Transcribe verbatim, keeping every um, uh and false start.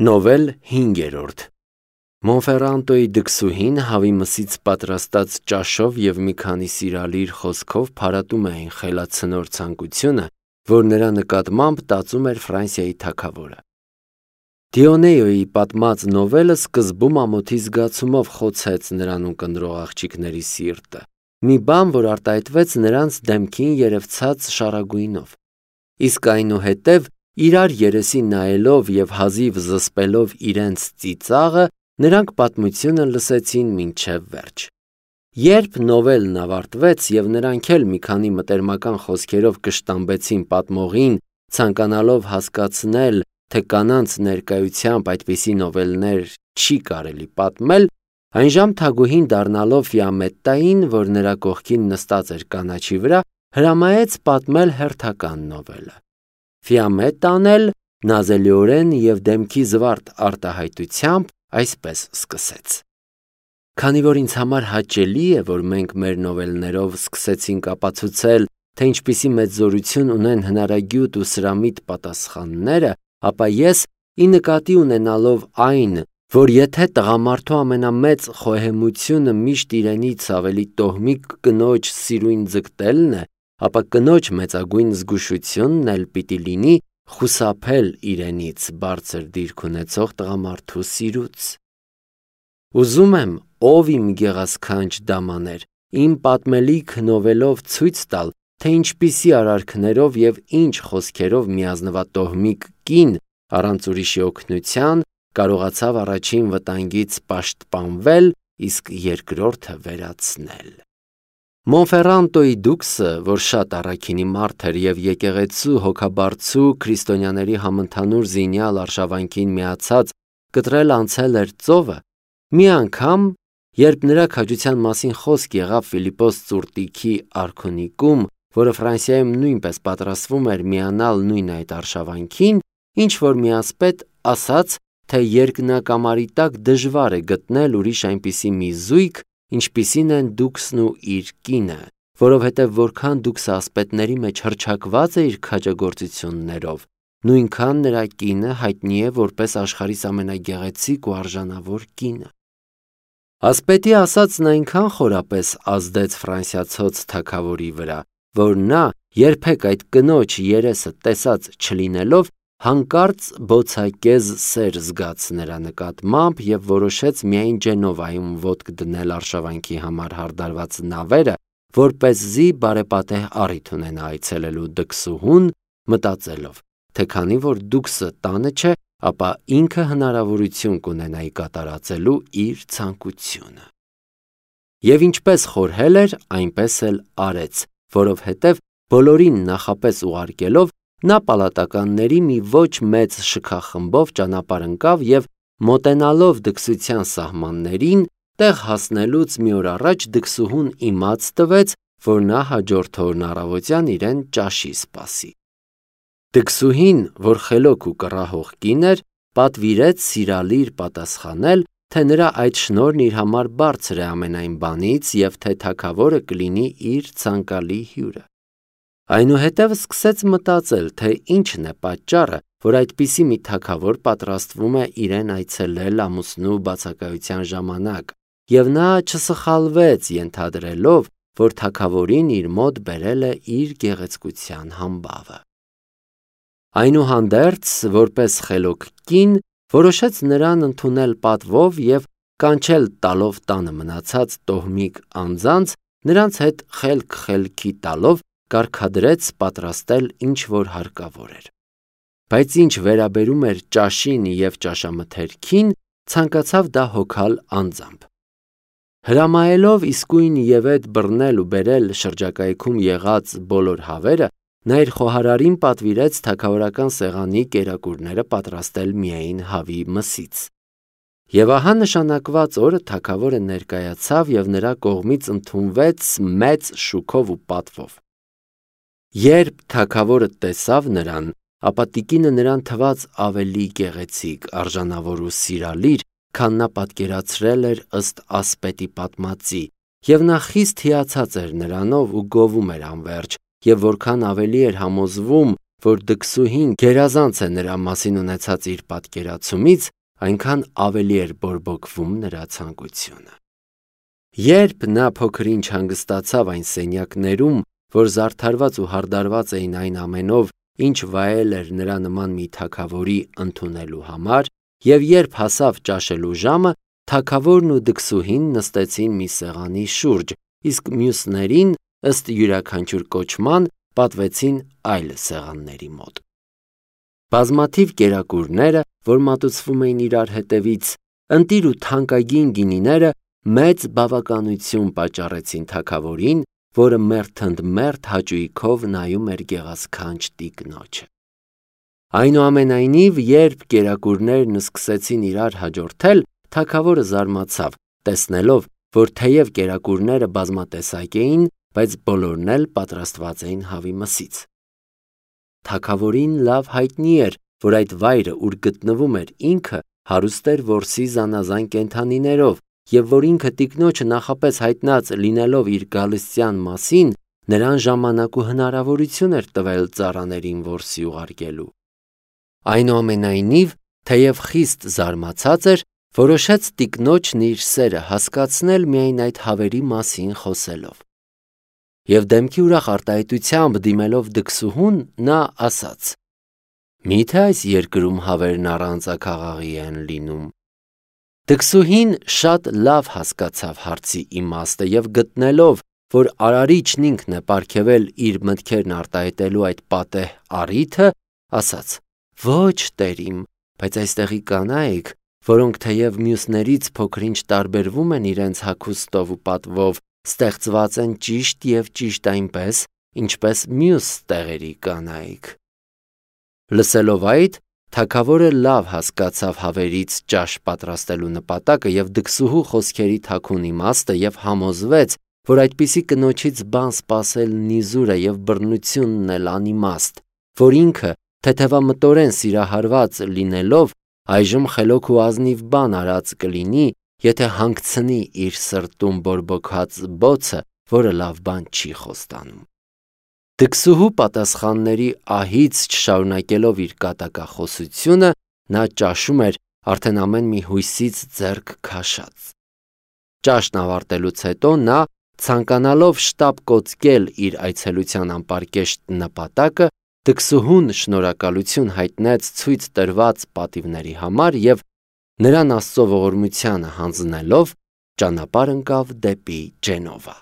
Նովել հինգերորդ Մոնֆերանտոյի դքսուհին հավի մսից պատրաստած ճաշով և մի քանի սիրալիր խոսքով փարատում էին խելացնոր ցանկությունը, որ նրա նկատմամբ տածում էր Ֆրանսիայի թագավորը։ Դիոնեյոյի պատմած նովելը սկզբում ամոթի զգացումով խոցեց նրան ունկնդրող աղջիկների սիրտը, մի բան, որ արտահայտվեց նրանց դեմքին երևցած շառագույնով։ Իսկ այնուհետև իրար երեսին նայելով և հազիվ զսպելով իրենց ծիծաղը, նրանք պատմությունը լսեցին մինչև վերջ։ Երբ նովելն ավարտվեց և նրանք էլ մի քանի մտերմական խոսքերով կշտամբեցին պատմողին, ցանկանալով հասկացնել, թե կանանց ներկայությամբ այդպիսի նովելներ չի կարելի պատմել, այնժամ թագուհին դառնալով Ֆիամետտային, որ նրա կողքին նստած էր կանաչի վրա, հրամայեց պատմել հերթական նովելը։ Ֆիամետտան էլ նազելիորեն և դեմքի զվարթ արտահայտությամբ այսպես սկսեց. Քանի որ ինձ համար հաճելի է, որ մենք մեր նովելներով սկսեցինք ապացուցել, թե ինչպիսի մեծ զորություն ունեն հնարագյուտ ու սրամիտ պատասխանները, ապա ես, ի նկատի ունենալով այն, որ եթե տղամարդու ամենամեծ խոհեմությունը միշտ իրենից ավելի տոհմիկ կնոջ սիրույն ձգտելն է, ապա կնոջ մեծագույն զգուշությունն էլ պիտի լինի խուսափել իրենից բարձր դիրք ունեցող տղամարդու սիրուց։ Ուզում եմ, ով իմ գեղասքանչ դամաներ, իմ պատմելիք նովելով ցույց տալ, թե ինչպիսի արարքներով և ինչ խոսքերով միազնվատոհմիկ կին առանց ուրիշի օգնության կարողացավ առաջին վտանգից պաշտպանվել, իսկ երկրորդը վերացնել։ Մոնֆերանտոյի դուքսը, որ շատ առաքինի մարդ էր և եկեղեցու հոգաբարձու քրիստոնյաների համընդհանուր զինյալ արշավանքին միացած կտրել անցել էր ծովը, մի անգամ, երբ նրա քաջության մասին խոսք եղավ Ֆիլիպպոս Ծուրտիքի արքունիքում, որը Ֆրանսիայում նույնպես պատրաստվում էր միանալ նույն այդ արշավանքին, ինչ-որ մի ասպետ ասաց, թե երկնակամարի տակ դժվար է գտնել ուրիշ այնպիսի մի զույգ, ինչպիսին են դուքսն ու իր կինը, որովհետև որքան դուքսը ասպետների մեջ հռչակված է իր քաջագործություններով, նույնքան նրա կինը հայտնի է որպես աշխարհիս ամենագեղեցիկ ու արժանավոր կինը։ Ասպետի ասածն այնքան խորապես ազդեց ֆրանսիացոց թագավորի վրա, որ նա, երբեք այդ կնոջ երեսը տեսած չլինելով, հանկարծ բոցակեզ սեր զգաց նրա նկատմամբ և որոշեց միայն Ջենովայում ոտք դնել արշավանքի համար հարդարված նավերը, որպեսզի բարեպատեհ առիթ ունենա այցելելու դքսուհուն, մտածելով, թե քանի որ դուքսը տանը չէ, ապա ինքը հնարավորություն կունենայի կատարածելու իր ցանկությունը։ Եվ ինչպես խորհել էր, այնպես էլ արեց, որովհետև բոլորին նախապես ուղարկելով, նա պալատականների մի ոչ մեծ շքախմբով ճանապարհ ընկավ և մոտենալով դքսության սահմաններին, տեղ հասնելուց մի օր առաջ դքսուհուն իմաց տվեց, որ նա հաջորդ օրն առավոտյան իրեն ճաշի սպասի։ Դքսուհին, որ խելոք ու կռահող կին էր, պատվիրեց սիրալիր պատասխանել, թե նրա այդ շնորհն իր համար բարձր է ամենայն բանից և թե թագավորը կլինի իր ցանկալի հյուրը։ Այնուհետև սկսեց մտածել, թե ինչն է պատճառը, որ այդպիսի մի թագավոր պատրաստվում է իրեն այցելել ամուսնու բացակայության ժամանակ, և նա չսխալվեց ենթադրելով, որ թագավորին իր մոտ բերել է իր գեղեցկության համբավը։ Այնուհանդերձ, որպես խելոք կին, որոշեց նրան ընդունել պատվով և կանչել տալով տանը մնացած տոհմիկ անձանց, նրանց հետ խելք-խելքի տալով կարգադրեց պատրաստել ինչ-որ հարկավոր էր։ Բայց ինչ վերաբերում էր ճաշին և ճաշամթերքին, ցանկացավ դա հոգալ անձամբ։ Հրամայելով իսկույն ևեթ բռնել ու բերել շրջակայքում եղած բոլոր հավերը, նա իր խոհարարին պատվիրեց թագավորական սեղանի կերակուրները պատրաստել միայն հավի մսից։ Եվ ահա նշանակված օրը թագավորը ներկայացավ և նրա կողմից ընդունվեց մեծ շուքով ու պատվով։ Երբ թագավորը տեսավ նրան, ապա տիկինը նրան թվաց ավելի գեղեցիկ, արժանավոր ու սիրալիր, քան նա պատկերացրել էր ըստ ասպետի պատմածի, և նա խիստ հիացած էր նրանով ու գովում էր անվերջ, և որքան ավելի էր համոզվում, որ դքսուհին գերազանց է նրա մասին ունեցած իր պատկերացումից, այնքան ավելի էր բորբոքվում նրա ցանկությունը։ Երբ նա փոքր-ինչ հանգստացավ այն սենյակներում, որ զարդարված ու հարդարված էին այն ամենով, ինչ վայել էր նրա նման մի թագավորի ընդունելու համար, եւ երբ հասավ ճաշելու ժամը, թագավորն ու դքսուհին նստեցին մի սեղանի շուրջ, իսկ մյուսներին, ըստ յուրաքանչյուր կոչման, պատվեցին այլ սեղանների մոտ։ Բազմաթիվ կերակուրները, որ մատուցվում էին իրար հետևից, ընտիր ու թանկագին գինիները մեծ բավականություն պատճառեցին թագավորին, որը մերթընդմերթ հաճույքով նայում էր գեղասքանչ տիկնոջը։ Այնուամենայնիվ, երբ կերակուրներն սկսեցին իրար հաջորդել, թագավորը զարմացավ, տեսնելով, որ թեև կերակուրները բազմատեսակ էին, բայց բոլորն էլ պատրաստված էին հավի մսից։ Թագավորին լավ հայտնի էր, որ այդ վայրը, ուր գտնվում էր ինքը, հարուստ էր որսի զանազան կենդանիներով, եւ որ ինքը տիկնոջը նախապես հայտնած լինելով իր գալստյան մասին, նրան ժամանակ ու հնարավորություն էր տվել ծառաներին որսի ուղարկելու։ Այնուամենայնիվ, թեև խիստ զարմացած էր, որոշեց տիկնոջն իր սերը հասկացնել միայն այդ հավերի մասին խոսելով։ Եվ դեմքի ուրախ արտահայտությամբ դիմելով դքսուհուն, նա ասաց. «Միթե այս երկրում հավերն առանձաքաղաղի են լինում»։ Դքսուհին շատ լավ հասկացավ հարցի իմաստը եւ գտնելով, որ արարիչն ինքն է պարգևել իր մտքերն արտահայտելու այդ պատեհ առիթը, ասաց. «Ոչ, տերիմ, բայց այստեղի կանայք, որոնք թեև մյուսներից փոքր-ինչ տարբերվում են իրենց հագուստով ու պատվով, ստեղծված են ճիշտ եւ ճիշտ այնպես, ինչպես մյուս տեղերի կանայք»։ Լսելով այդ, թագավորը լավ հասկացավ հավերից ճաշ պատրաստելու նպատակը եւ դքսուհու խոսքերի թաքուն իմաստը եւ համոզվեց, որ այդպիսի կնոջից բան սպասելն իզուր է եւ բռնությունն էլ անիմաստ, որ ինքը թեթևամտորեն սիրահարված լինելով այժմ խելոք ու ազնիվ բան արած կլինի, եթե հանգցնի իր սրտում բորբոքած բոցը, որը լավ բան չի խոստանում։ Դքսուհու պատասխանների ահից չշարունակելով իր կատակախոսությունը, նա ճաշում էր արդեն ամեն մի հույսից ձեռք քաշած։ Ճաշն ավարտելուց հետո նա, ցանկանալով շտապ կոծկել իր այցելության անպարկեշտ նպատակը, դքսուհուն շնորհակալություն հայտնեց ցույց տրված պատիվների համար եւ նրան Աստծո ողորմությանը հանձնելով ճանապարհ ընկավ դեպի Ջենովա։